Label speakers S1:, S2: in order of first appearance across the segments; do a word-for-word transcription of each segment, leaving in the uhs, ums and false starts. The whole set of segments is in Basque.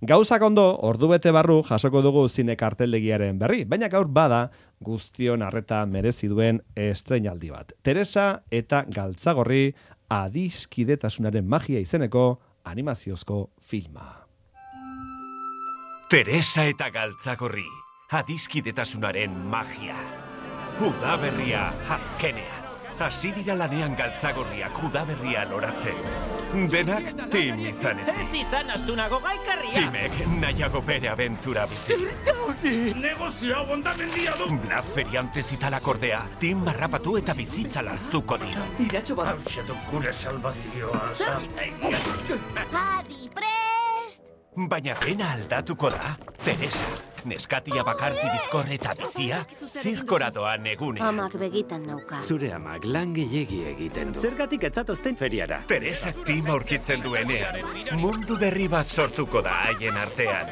S1: Gauzak ondo, ordu bete barru jasoko dugu zine karteldegiaren berri, baina gaur bada guztion arreta merezi duen estreinaldi bat. Teresa eta Galtzagorri adiskidetasunaren magia izeneko animaziozko filma.
S2: Teresa eta Galtzagorri, adiskidetasunaren magia. Udaberria azkenean. Hasi dira lanean Galtzagorriak udaberria loratzen. Denak tim izan ezik.
S3: Ez izan astunago gaikarria.
S2: Timek nahiago bere abentura bizi.
S3: Zerta hori! Negozioa bondamendia du!
S2: Blaf feriante zitalak ordea, tim marrapatu eta bizitza laztuko dio.
S3: Iratxo bat. Hau du gure salvazioa.
S4: Adi, prest!
S2: Baina pena aldatuko da, Teresa. Neskatia bakarti bizkor eta bizia, zirkoradoan egunean.
S4: Amak begitan nauka.
S5: Zure amak lan gehiegi egiten du. Zergatik etzatozten feriara?
S2: Teresak tima aurkitzen duenean, mundu berri bat sortuko da haien artean.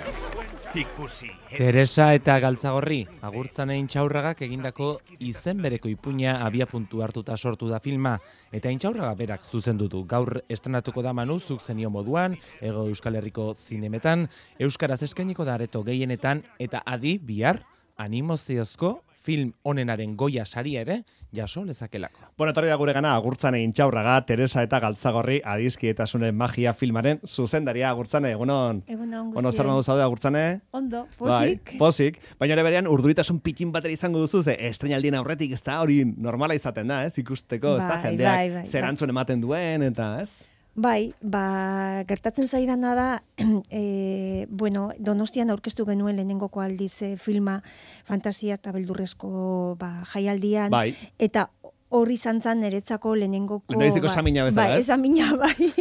S2: Ikusi.
S6: Teresa eta Galtzagorri, Agurtzane Intxaurragak egindako izen bereko ipuina abia puntu hartuta sortu da filma, eta Intxaurraga berak zuzendu du. Gaur estrenatuko da Manu, zuk zenio moduan, Hego Euskal Herriko zinemetan, euskaraz eskainiko da areto gehienetan, eta adi bihar animoziozko film onenaren Goya saria ere jaso lezakelako.
S1: Bueno, etorri da gure gana Agurtzane Intxaurraga, Teresa eta Galtzagorri adiskidetasunen magia filmaren zuzendaria. Agurtzane, egunon.
S7: Egunon guztien.
S1: Bueno, zer modu zaude, Agurtzane?
S7: Ondo, posik.
S1: Bai, posik. Baina ere berean urduritasun pikin batera izango duzu, ze estreinaldien aurretik ez da hori normala izaten da, ez? Ikusteko, ez da,
S7: Bai,
S1: jendeak
S7: bai, bai,
S1: zer
S7: bai.
S1: antzun ematen duen, eta ez?
S7: Bai, ba, gertatzen zaidana da, e, bueno, Donostian aurkeztu genuen lehenengoko aldiz e, filma fantasia eta beldurrezko ba, jaialdian,
S1: Bai.
S7: eta horri izan zan niretzako lehenengoko...
S1: Lehenbiziko esamina bezala,
S7: bai,
S1: ez?
S7: esamina, bai.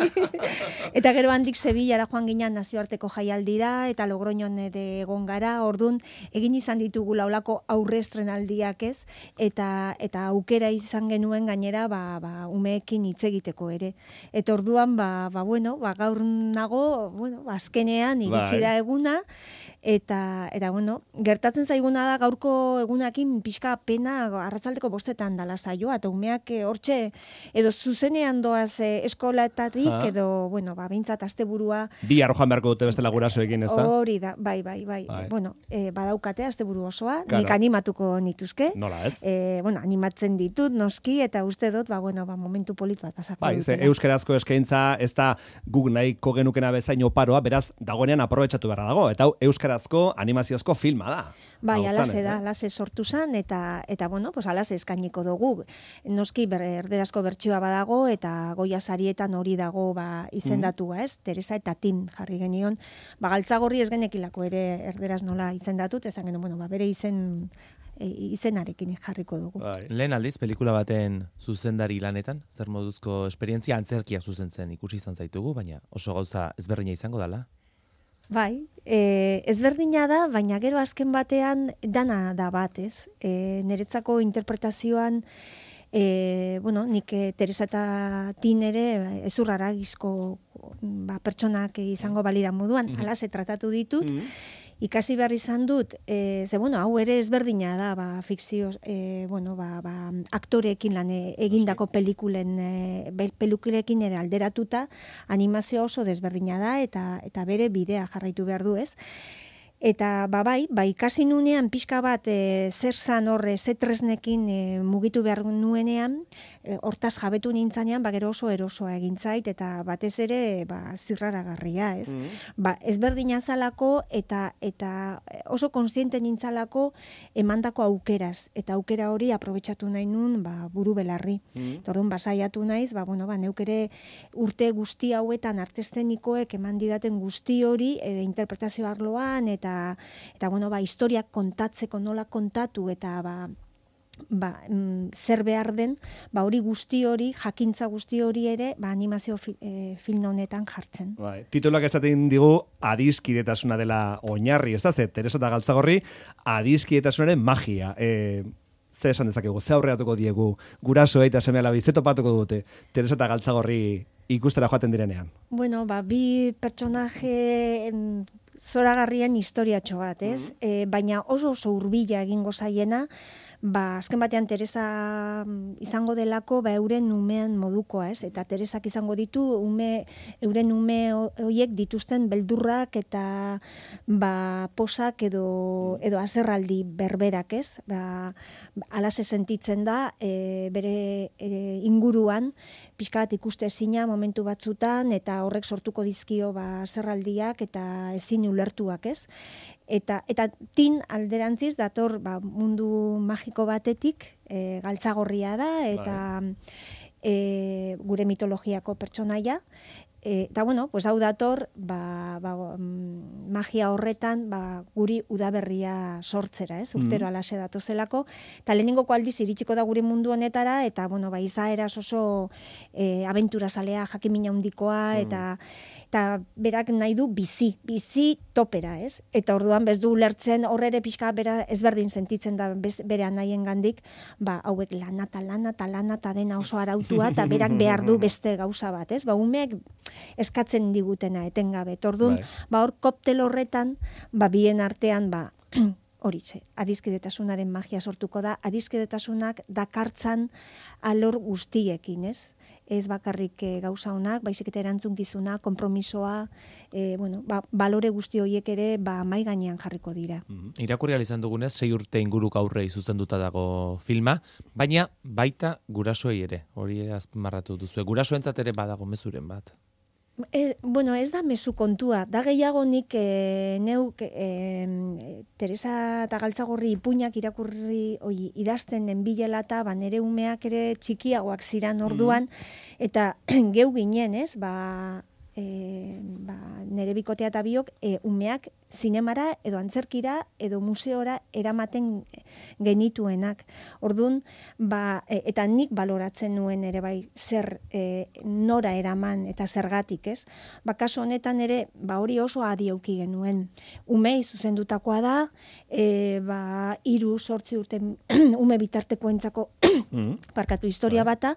S7: Eta gero handik Sevillara joan ginen nazioarteko jaialdira, eta Logroñon ere egon gara, ordun egin izan ditugu laulako aurre estrenaldiak ez, eta eta aukera izan genuen gainera ba, ba, umeekin hitz egiteko ere. Eta orduan, ba, ba, bueno, ba, gaur nago, bueno, ba, azkenean iritsi
S1: Bai.
S7: da eguna, eta, eta bueno, gertatzen zaiguna da gaurko egunakin pixka pena arratsaldeko bostetan dala saioa, eta umeak eh, hortxe, edo zuzenean doaz eh, eskolatatik,
S1: Ah.
S7: edo, bueno, ba, bintzat asteburua
S1: Bi arrojan beharko dute bestela gurasoekin, ez da?
S7: hori da, bai, bai, bai.
S1: Bai.
S7: Bueno, eh, badaukate asteburu osoa,
S1: Claro.
S7: nik animatuko nituzke.
S1: Nola ez?
S7: Eh, bueno, animatzen ditut, noski, eta uste dut, ba, bueno, ba, momentu polit bat pasako
S1: Bai, ze
S7: dutela.
S1: euskarazko eskaintza ez da guk nahiko genukena bezain oparoa, beraz, dagoenean aprobetxatu beharra dago, eta hau euskarazko animaziozko filma da.
S7: Bai,
S1: Hau
S7: alase
S1: zan,
S7: da,
S1: eh?
S7: alase sortu zan, eta, eta bueno, pues alase eskainiko dugu. Noski ber, erderazko bertsioa badago, eta Goya sarietan hori dago ba, izendatua, ez? Teresa eta Tim jarri genion. Ba, Galtzagorri ez genekilako ere erderaz nola izendatut, ezan genuen, bueno, ba, bere izen e, izenarekin jarriko dugu.
S1: Bai.
S6: Lehen aldiz, pelikula baten zuzendari lanetan, zer moduzko esperientzia antzerkia zuzentzen ikusi izan zaitugu, baina oso gauza ezberdina izango dala.
S7: Bai, e, ezberdina da, baina gero azken batean dana da bat, ez? E, niretzako interpretazioan, e, bueno, nik e, Teresa eta Tin ere ezurraragizko ba, pertsonak izango balira moduan,
S1: Mhm.
S7: alase tratatu ditut,
S1: Mhm.
S7: ikasi behar izan dut, e, ze, bueno, hau ere ezberdina da, ba, fikzio, e, bueno, ba, ba, aktoreekin lan e, egindako pelikulen, e, be- pelikulekin ere alderatuta, animazioa oso desberdina da, eta eta bere bidea jarraitu behar du, ez? Eta ba bai, ba ikasi nunean pixka bat e, zer zan horre, ze tresnekin e, mugitu behar nuenean, e, hortaz jabetu nintzanean, ba gero oso erosoa egin zait, eta batez ere ba, zirraragarria, ez?
S1: Mhm.
S7: Ba, ezberdina zalako, eta eta oso kontziente nintzalako emandako aukeraz, eta aukera hori aprobetxatu nahi nun ba, buru belarri.
S1: Mhm.
S7: Eta orduan basaiatu naiz, ba, bueno, ba, neuk ere urte guzti hauetan artestenikoek eman didaten guzti hori e, interpretazio arloan, eta eta bueno, ba, historiak kontatzeko nola kontatu, eta ba, ba, mm, zer behar den, ba, hori guzti hori, jakintza guzti hori ere, ba, animazio fi, e, film honetan jartzen.
S1: Bai. Tituluak esaten digu adiskidetasuna dela oinarri, ez da, ze, Teresa eta Galtzagorri adiskidetasunaren magia. E, ze esan dezakegu, ze aurreatuko diegu, gurasoei eta seme-alabi, ze topatuko dute Teresa eta Galtzagorri ikustera joaten direnean?
S7: Bueno, ba, bi pertsonaje em, zoragarrien historiatxo bat, ez? E, baina oso oso hurbila egingo zaiena, ba, azken batean Teresa izango delako, ba, euren umean modukoa, ez? Eta Teresak izango ditu, ume, euren ume horiek dituzten beldurrak eta ba, posak edo, edo azerraldi berberak, ez? Ba, alase sentitzen da, e, bere e, inguruan, pixka bat ikuste ezina momentu batzutan, eta horrek sortuko dizkio ba, azerraldiak eta ezin ulertuak, ez? Eta, eta tin alderantziz dator ba, mundu magiko batetik, e, galtzagorria da, eta e, gure mitologiako pertsonaia, E, eta bueno, pues hau dator, ba, ba, magia horretan ba, guri udaberria sortzera, ez? Urtero mm. alase datozelako, eta lehenengoko aldiz iritsiko da gure mundu honetara, eta bueno, ba, izaeraz oso e, abenturazalea, jakimina handikoa, mm. eta eta berak nahi du bizi, bizi topera, ez? Eta orduan bez du ulertzen horrere pixka bera ezberdin sentitzen da bez, bere anahien gandik, ba, hauek lana eta lana eta lana eta dena oso arautua, eta berak behar du beste gauza bat, ez? Ba, umeek eskatzen digutena etengabe. Orduan, ba, hor koptel horretan, ba, bien artean, ba, horitxe, adizkidetasunaren magia sortuko da, adizkidetasunak dakartzan alor guztiekin, ez? Ez bakarrik e, gauza honak, baizik eta erantzunkizuna, konpromisoa, e, bueno, ba, balore guzti horiek ere ba, mai gainean jarriko dira.
S6: Mm-hmm. Irakurri ahal izan dugunez, sei urte inguruk aurrei zuzenduta dago filma, baina baita gurasoei ere, hori azpimarratu duzu. Gurasoentzat ere badago mezuren bat.
S7: E, bueno, ez da mezu kontua. Da gehiago nik e, neuk e, Teresa eta Galtzagorri ipuinak irakurri oi, idazten nenbilela eta ba, nere umeak ere txikiagoak ziran orduan, mm. eta geu ginen, ez? Ba, e, ba, nere bikotea eta biok e, umeak zinemara edo antzerkira edo museora eramaten genituenak. Orduan, ba, e, eta nik baloratzen nuen ere bai zer e, nora eraman eta zergatik, ez? Ba, kasu honetan ere, ba, hori oso adi auki genuen. Umei zuzendutakoa da, e, ba, iru sortzi urte ume bitartekoentzako parkatu historia bata,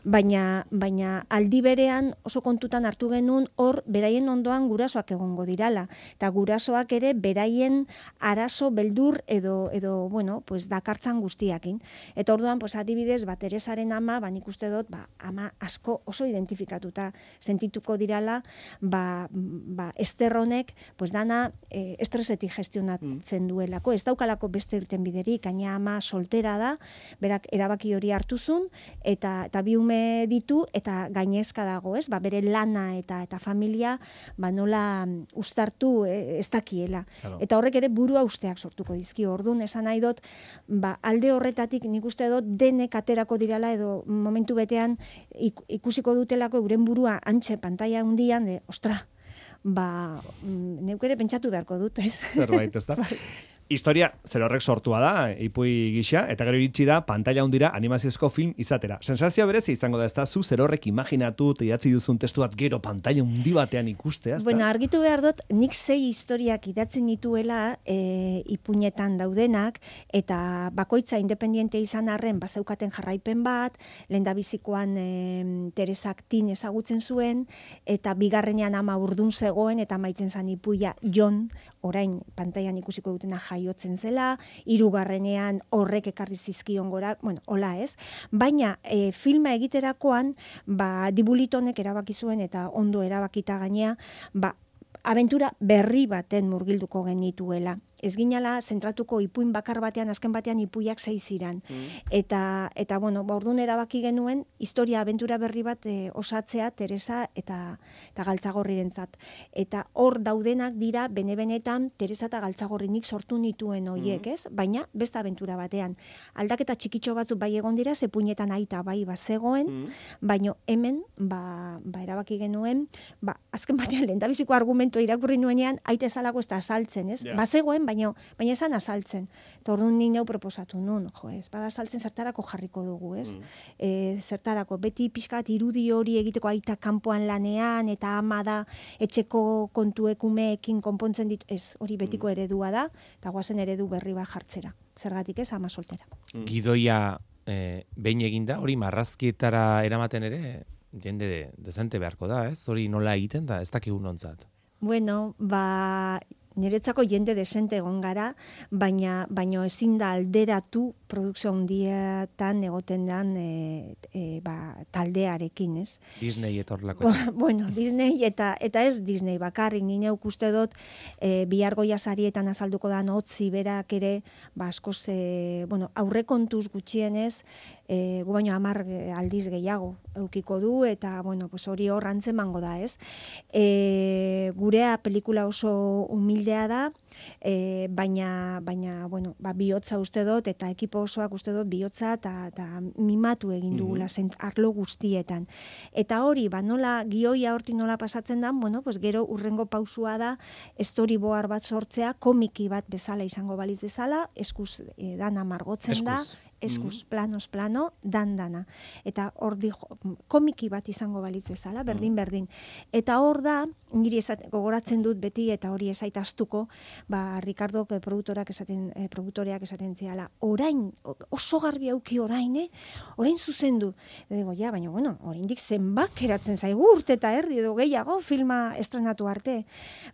S7: baina, baina aldi berean oso kontutan hartu genuen hor beraien ondoan gurasoak egongo dirala. Eta guraso ere beraien arazo beldur edo edo bueno, pues dakartzan guztiakin. Eta orduan pues adibidez, ba Teresaren ama, ba nik uste dut, ba ama asko oso identifikatuta sentituko dirala, ba ba Ester honek pues dana e, estresetik gestionatzen duelako, ez daukalako beste irtenbiderik, gaina ama soltera da, berak erabaki hori hartuzun eta eta bi ume ditu eta gainezka dago, ez? Ba bere lana eta eta familia ba nola uztartu e, ez dakiela. Claro. Eta horrek ere burua usteak sortuko dizki. Orduan esan nahi dut, ba, alde horretatik nik uste dut denek aterako dirala edo momentu betean ikusiko dutelako euren burua antxe pantaila hundian de, ostra, ba, neuk ere pentsatu beharko dut, ez?
S1: Zerbait, ez da? Historia zerorrek sortua da, ipui gisa, eta gero iritsi da pantalla hundira animaziozko film izatera. Sensazioa berezi izango da, ez da, zu zerorrek imaginatu, idatzi duzun testu bat gero pantalla hundi batean ikustea, ez da?
S7: Bueno, argitu behar dut, nik sei historiak idatzen dituela e, ipuinetan daudenak, eta bakoitza independiente izan arren, bazeukaten jarraipen bat, lehendabizikoan e, Teresak tin ezagutzen zuen, eta bigarrenean ama urdun zegoen, eta maitzen zan ipuia Jon, orain pantailan ikusiko dutena jaiotzen zela, hirugarrenean horrek ekarri zizkion gora, bueno, hola ez, baina e, filma egiterakoan, ba, Dibulitonek erabaki zuen eta ondo erabakita gainea, ba, abentura berri baten murgilduko genituela. Ez ginala zentratuko ipuin bakar batean, azken batean ipuiak sei ziran. Mm. Eta, eta bueno, ba, orduan erabaki genuen, historia abentura berri bat e, osatzea Teresa eta, eta Galtzagorrirentzat. Eta hor daudenak dira, bene-benetan, Teresa eta Galtzagorrinik sortu nituen hoiek, ez? Baina, beste abentura batean. Aldaketa txikitxo batzuk bai egon dira, zepuinetan aita bai bazegoen, mm. baina hemen, ba, ba erabaki genuen, ba, azken batean, lehendabiziko argumentua irakurri nuenean, aita ezalako ez da asaltzen, ez? Yeah. Bazegoen, baina baina esan azaltzen. Orduan ni neu proposatu nun, jo, ez, bada azaltzen zertarako jarriko dugu, ez? Mm. E, zertarako, beti pixkat irudi hori egiteko aita kanpoan lanean, eta ama da etxeko kontuekumeekin konpontzen ditu, ez, hori betiko eredua da, eta guazen eredu berri bat jartzera. Zergatik ez, ama soltera.
S6: Mm. Gidoia e, behin eginda, hori marrazkietara eramaten ere, jende de, dezente beharko da, ez? Hori nola egiten da, ez dakigun ontzat.
S7: Bueno, ba, niretzako jende desente egon gara, baina baino ezin da alderatu produkzio handietan egoten dan e, e, ba, taldearekin, ez?
S6: Disney etorlako.
S7: Bueno, Disney eta eta ez Disney bakarrik, ni neuk uste dut e, bihar Goya sarietan azalduko dan Otzi berak ere, ba askoz e, bueno, aurrekontuz gutxienez E, gu baino hamar aldiz gehiago eukiko du, eta bueno, pues hori hor antzemango da, ez? E, gurea pelikula oso humildea da, e, baina, baina bueno, ba, bihotza uste dut, eta ekipo osoak uste dut bihotza eta, eta mimatu egin dugula mm -hmm. arlo guztietan. Eta hori, ba, nola, gioia hortik nola pasatzen da, bueno, pues gero urrengo pausua da, storyboard bat sortzea, komiki bat bezala izango baliz bezala, eskuz e, dana margotzen eskuz. da, eskuz, planos, plano, dan-dana. Eta hor di, komiki bat izango balitz bezala, berdin-berdin. Eta hor da, niri esat, gogoratzen dut beti, eta hori esaitaztuko, ba, Ricardo eh, produktorak esaten, eh, produktoreak esaten ziala, orain, oso garbi auki orain, eh? Orain zuzendu. Ego, ja, baina, bueno, oraindik zenbak eratzen zaigu urte eta erdi edo gehiago filma estrenatu arte.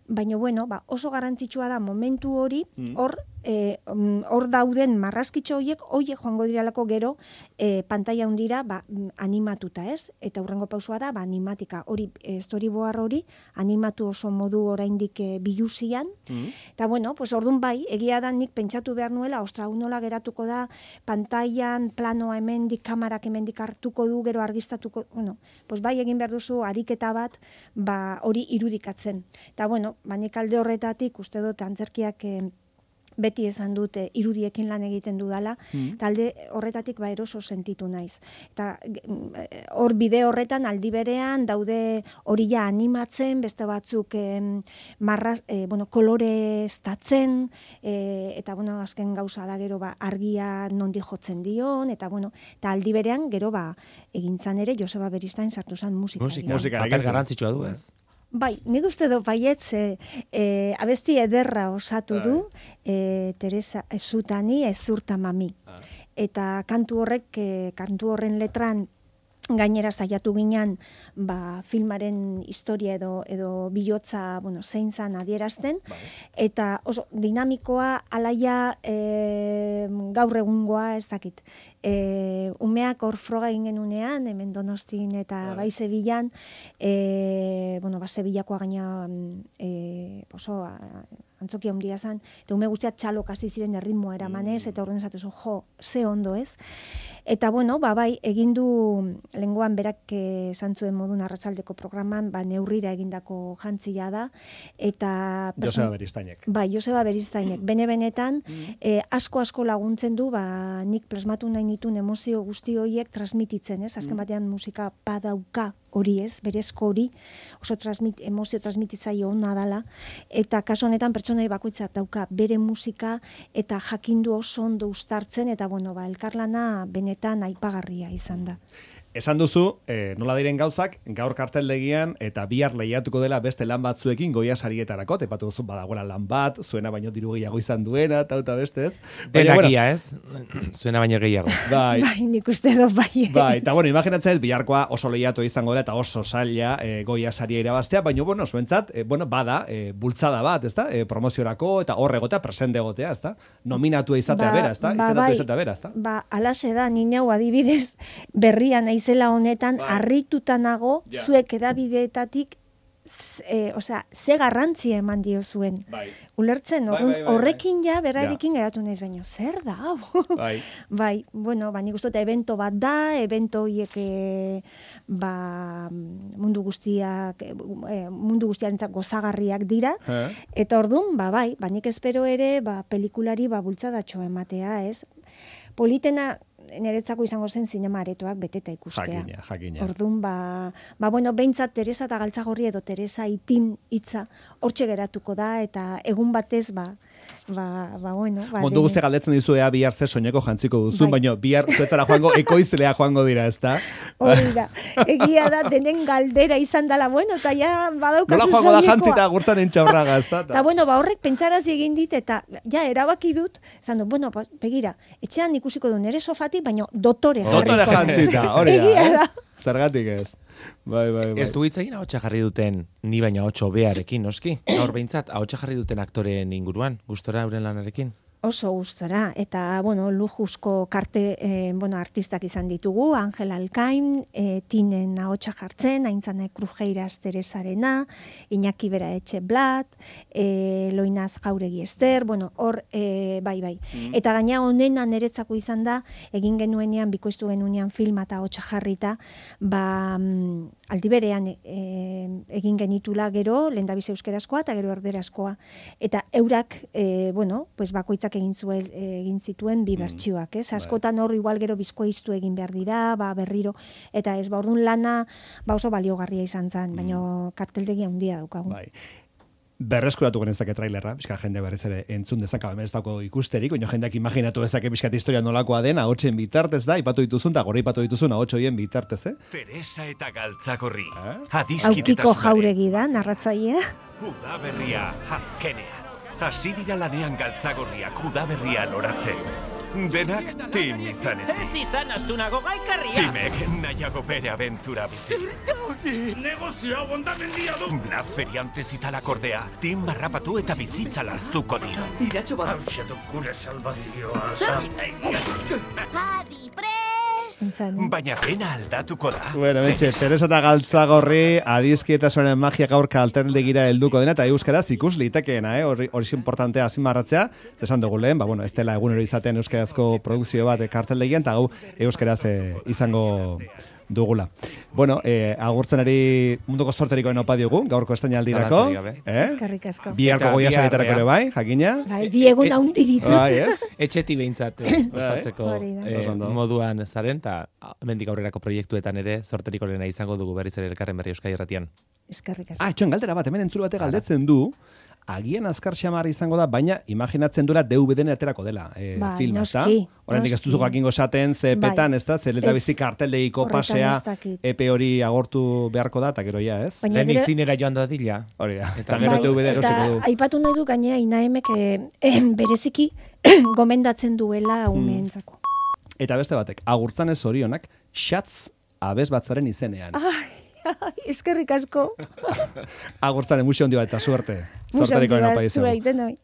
S7: Baina, bueno, ba, oso garrantzitsua da momentu hori, hor, eh, hor dauden marrazkitxo horiek, horiek joango diralako gero e, pantalla hundira ba, animatuta, ez? Eta hurrengo pausua da, ba, animatika. Hori, e, storyboard hori, animatu oso modu oraindik e, biluzian. Mm. Eta bueno, pues ordun bai, egia da nik pentsatu behar nuela, ostra, unola geratuko da, pantailan, planoa hemendik, kamarak hemendik hartuko du, gero argiztatuko, bueno, pues bai egin behar duzu ariketa bat, ba, hori irudikatzen. Eta bueno, ba, nik alde horretatik, uste dut, antzerkiak e, beti esan dute irudiekin lan egiten dudala, mm. talde horretatik ba eroso sentitu naiz. Eta hor bide horretan aldi berean daude hori ja animatzen, beste batzuk eh, marraz, eh, bueno, kolore estatzen, eh, eta bueno, azken gauza da gero ba argia nondi jotzen dion, eta bueno, eta aldi berean gero ba egintzan ere Joseba Beristain sartu zen musika.
S6: Musika, musika papel garrantzitsua du, ez?
S7: Bai, nik uste du baietz, e, e, abesti ederra osatu du, e, Teresa Ezutani, Ezurta Mami. Ah. Eta kantu horrek, e, kantu horren letran, gainera saiatu ginen ba, filmaren historia edo edo bihotza, bueno, zein zan adierazten, bai. Eta oso dinamikoa alaia e, gaur egungoa ez dakit. E, umeak hor froga egin genunean, hemen Donostin eta bai Sevillan, e, bueno, ba, Sevillakoa gaina e, oso antzoki handia zen, eta ume guztiak txalok hasi ziren erritmoa eramanez, eta horren esatu zo, jo, ze ondo ez. Eta bueno, ba, bai, egin du lenguan berak esan zuen modun arratsaldeko programan, ba, neurrira egindako jantzia da, eta...
S1: Joseba Beristainek.
S7: Bai, Joseba Beristainek. Bene-benetan, eh, asko-asko laguntzen du, ba, nik presmatu nahi nituen emozio guzti horiek transmititzen, ez? Azken batean musika badauka hori ez, berezko hori, oso transmit, emozio transmititzaile ona dala, eta kasu honetan pertsonai bakoitzak dauka bere musika, eta jakindu oso ondo uztartzen, eta bueno, ba, elkarlana benetan aipagarria izan da.
S1: Esan duzu, eh, nola diren gauzak, gaur karteldegian eta bihar lehiatuko dela beste lan batzuekin Goya sarietarako, tepatu duzu badagoela lan bat, zuena baino diru gehiago izan duena, eta eta beste ez.
S6: Denakia bueno, ez, zuena baino gehiago.
S7: Bai, bai nik uste dut bai.
S1: Bai, eta bueno, imaginatzen biharkoa oso lehiatu izango dela eta oso zaila eh, Goya saria irabaztea, baina bueno, zuentzat, eh, bueno, bada, eh, bultzada bat, ezta? Eh, promoziorako eta hor egotea, presente egotea, ezta? Nominatua izatea ba, bera, ezta?
S7: Ba, bai,
S1: izatea bera, ezta?
S7: Ba, alaxe da, ni neu adibidez berrian naizela honetan bai. Harrituta nago ja. Zuek edabideetatik e, osea, ze garrantzia eman dio zuen. Bai. Ulertzen, bai, bai, bai, horrekin ja berarekin ja. Geratu naiz baino, zer da hau? Bai. Bai, bueno, ba nik uste dut evento bat da, evento hiek e, ba, mundu guztiak e, mundu guztiarentzat gozagarriak dira. He? Eta ordun, ba bai, ba nik espero ere ba pelikulari ba bultzadatxo ematea, ez? Politena niretzako izango zen zinema aretoak beteta ikustea.
S1: Jakina, jakina.
S7: Orduan, ba, ba bueno, behintzat Teresa eta Galtzagorri edo Teresa itin hitza hortxe geratuko da, eta egun batez, ba, ba, ba bueno. Ba,
S1: Mundu guzti galdetzen dizu ea bihar ze soineko jantziko duzun, bai. Baina bihar zuetzara joango, ekoizlea joango dira, ezta?
S7: Hori da. Egia da, denen galdera izan dela, bueno, eta ja badaukazu soinekoa.
S1: Nola joango da jantzita gurtzan entxaurraga, ezta?
S7: Eta bueno, ba horrek pentsarazi egin dit, eta ja erabaki dut, zan du, bueno, begira, etxean ikusiko du nere sofati, baina dotore jarriko.
S1: Dotore jantzita, hori da.
S7: Egia da.
S1: Zergatik ez. Bai, bai, bai.
S6: Ez du hitz egin ahotsa jarri duten, ni baina ahotsa hobearekin, noski? Gaur behintzat, ahotsa jarri duten aktoreen inguruan, gustora euren lanarekin?
S7: Oso gustora, eta, bueno, lujuzko karte, eh, bueno, artistak izan ditugu, Angel Alkain, eh, Tinen ahotsa jartzen, Aintzane Krujeiras Teresarena, Iñaki Bera Etxe Blat, eh, Loinaz Jauregi Ester, bueno, hor, eh, bai, bai. Mm. Eta gaina honena niretzako izan da, egin genuenean, bikoiztu genuenean filma eta ahotsa jarrita, ba, mm, aldi berean eh, egin genitula gero, lehendabize euskerazkoa eta gero erderazkoa. Eta eurak, eh, bueno, pues bakoitzak egin zuen egin zituen bi bertsioak, ez? Askotan hor igual gero bizkoiztu egin behar dira, ba berriro eta ez ba ordun lana ba oso baliogarria izan zen, baina karteldegi handia daukagu.
S1: Bai. Berreskuratu genezake trailerra, bizka jende berriz ere entzun dezaka, hemen ez dauko ikusterik, baina jendeak imaginatu dezake bizkat historia nolakoa den, ahotsen bitartez da, ipatu dituzun, eta gora ipatu dituzun ahotsa hoien bitartez, eh?
S2: Teresa eta Galtzagorri,
S1: Eh?
S7: Aukiko Jauregi da, narratzailea.
S2: Udaberria azkenean. Hasi dira lanean Galtzagorriak udaberria loratzen. Denak tim izan
S3: Ez
S2: ezik.
S3: izan astunago gaikarria.
S2: Timek nahiago bere abentura bizi.
S3: Negozioa bondamendia du.
S2: Blaz feriante zitalak ordea, tim marrapatu eta bizitza laztuko dio.
S3: Hauxe du gure salvazioa.
S4: Adi, prest!
S7: Zen.
S2: Baina pena aldatuko da.
S1: Bueno, betxe, Teresa eta Galtzagorri adizkietasunaren magia gaur kalterdegira helduko dena, eta euskaraz ikus litekeena, eh? Hori hori importantea azpimarratzea, zesan dugu lehen, ba, bueno, ez dela egunero izaten euskarazko produkzio bat karteldegian, eta gau euskaraz eh, izango dugula. Bueno, eh, agurtzen ari munduko zorterikoen opa diogu, gaurko estainaldirako.
S6: Zalantzarik gabe.
S1: Eh?
S7: Eskerrik asko.
S1: Biharko
S6: Eta
S1: goia
S6: bihar,
S1: sariterako ere bai, jakina.
S7: Bai, bi egun haundi ditut.
S1: Bai, ez?
S6: Etxeti behintzat eh, ospatzeko
S7: Hori da.
S6: eh,
S1: Oso ondo.
S6: moduan zaren, eta mendik aurrerako proiektuetan ere sorterikorena izango dugu berriz ere elkarren berri Euskadi Irratian.
S7: Eskerrik asko.
S1: Ah, etxoen galdera bat, hemen entzule batek galdetzen du, agian azkar xamar izango da, baina imaginatzen duela D V D-en aterako dela eh,
S7: Bai,
S1: filma, ezta?
S7: noski,
S1: Oraindik ez
S7: noski.
S1: duzu jakingo esaten, ze
S7: Bai.
S1: petan, ez da, ze leta
S7: Ez,
S1: bizi karteldegiko
S7: horretan
S1: pasea,
S7: ez dakit.
S1: epe hori agortu beharko da, eta gero ja, ez?
S7: Baina
S6: Lehenik
S7: gero-
S6: zinera joan dadila.
S1: Hori da, eta
S6: Eta
S1: gero
S7: Bai,
S1: D V D erosiko
S7: eta
S1: du.
S7: aipatu nahi du gainea Inaemek eh, eh, bereziki gomendatzen duela umeentzako.
S1: Eta beste batek, agurtzanez zorionak, xatz abez batzaren izenean.
S7: Ai, ai, eskerrik asko.
S1: Agurtzaren musio handi bat eta suerte.
S7: Musu handi
S1: Zorterikoen
S7: bat,
S1: opa dizugu.
S7: zuei denoi.